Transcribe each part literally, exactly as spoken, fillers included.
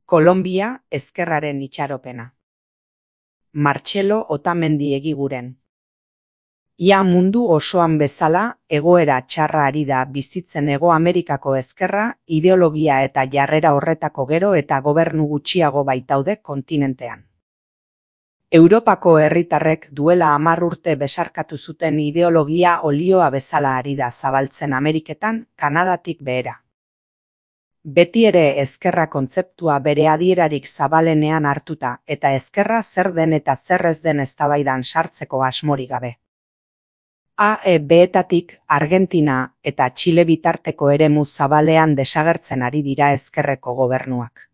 Kolonbia ezkerraren itxaropena. Martxelo Otamendi Egiguren. Ia mundu osoan bezala, egoera txarra ari da bizitzen Hego Amerikako ezkerra, ideologia eta jarrera horretako gero eta gobernu gutxiago baitaude kontinentean. Europako herritarrek duela hamar urte besarkatu zuten ideologia olioa bezala ari da zabaltzen Ameriketan, Kanadatik behera. Beti ere ezkerra kontzeptua bere adierarik zabalenean hartuta eta ezkerra zer den eta zer ez den eztabaidan sartzeko asmorik gabe. A E B-etatik Argentina eta Txile bitarteko eremu zabalean desagertzen ari dira ezkerreko gobernuak.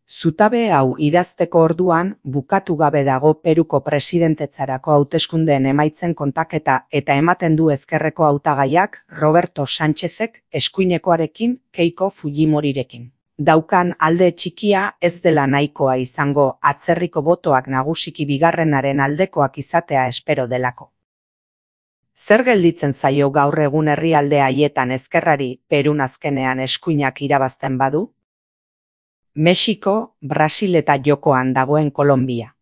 Zutabe hau idazteko orduan bukatu gabe dago Peruko presidentetzarako hauteskundeen emaitzen kontaketa eta ematen du ezkerreko hautagaiak Roberto Sánchezek eskuinekoarekin Keiko Fujimorirekin daukan alde txikia ez dela nahikoa izango atzerriko botoak nagusiki bigarrenaren aldekoak izatea espero delako. Zer gelditzen zaio gaur egun herrialde haietan ezkerrari Perun azkenean eskuinak irabazten badu? Mexiko, Brasil eta jokoan dagoen Kolonbia.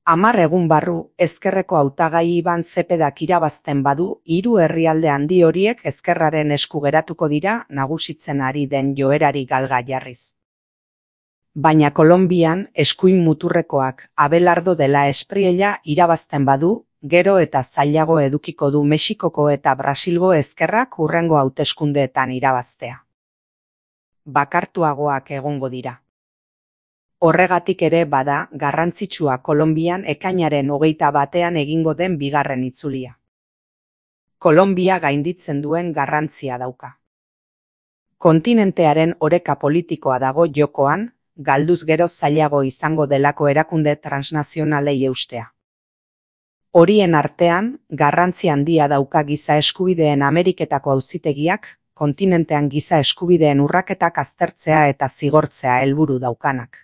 Hamar egun barru, ezkerreko hautagai Iban Zepedak irabazten badu, hiru herrialde handi horiek ezkerraren esku geratuko dira nagusitzen ari den joerari galga jarriz. Baina Kolonbian eskuin muturrekoak Abelardo de la Espriella irabazten badu, gero eta zailago edukiko du Mexikoko eta Brasilgo ezkerrak hurrengo hauteskundeetan irabaztea. Bakartuagoak egongo dira. Horregatik ere bada garrantzitsua Kolonbian ekainaren hogeita batean egingo den bigarren itzulia. Kolonbia gainditzen duen garrantzia dauka. Kontinentearen oreka politikoa dago jokoan, galduz gero zailago izango delako erakunde transnazionalei eustea. Horien artean, garrantzi handia dauka giza eskubideen Ameriketako auzitegiak, kontinentean giza eskubideen urraketak aztertzea eta zigortzea helburu daukanak.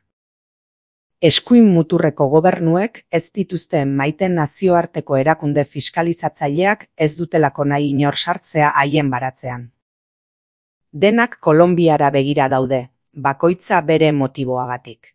Eskuin muturreko gobernuek ez dituzten maiten nazioarteko erakunde fiskalizatzaileak ez dutelako nahi inor sartzea haien baratzean. Denak Kolonbiara begira daude, bakoitza bere motiboagatik.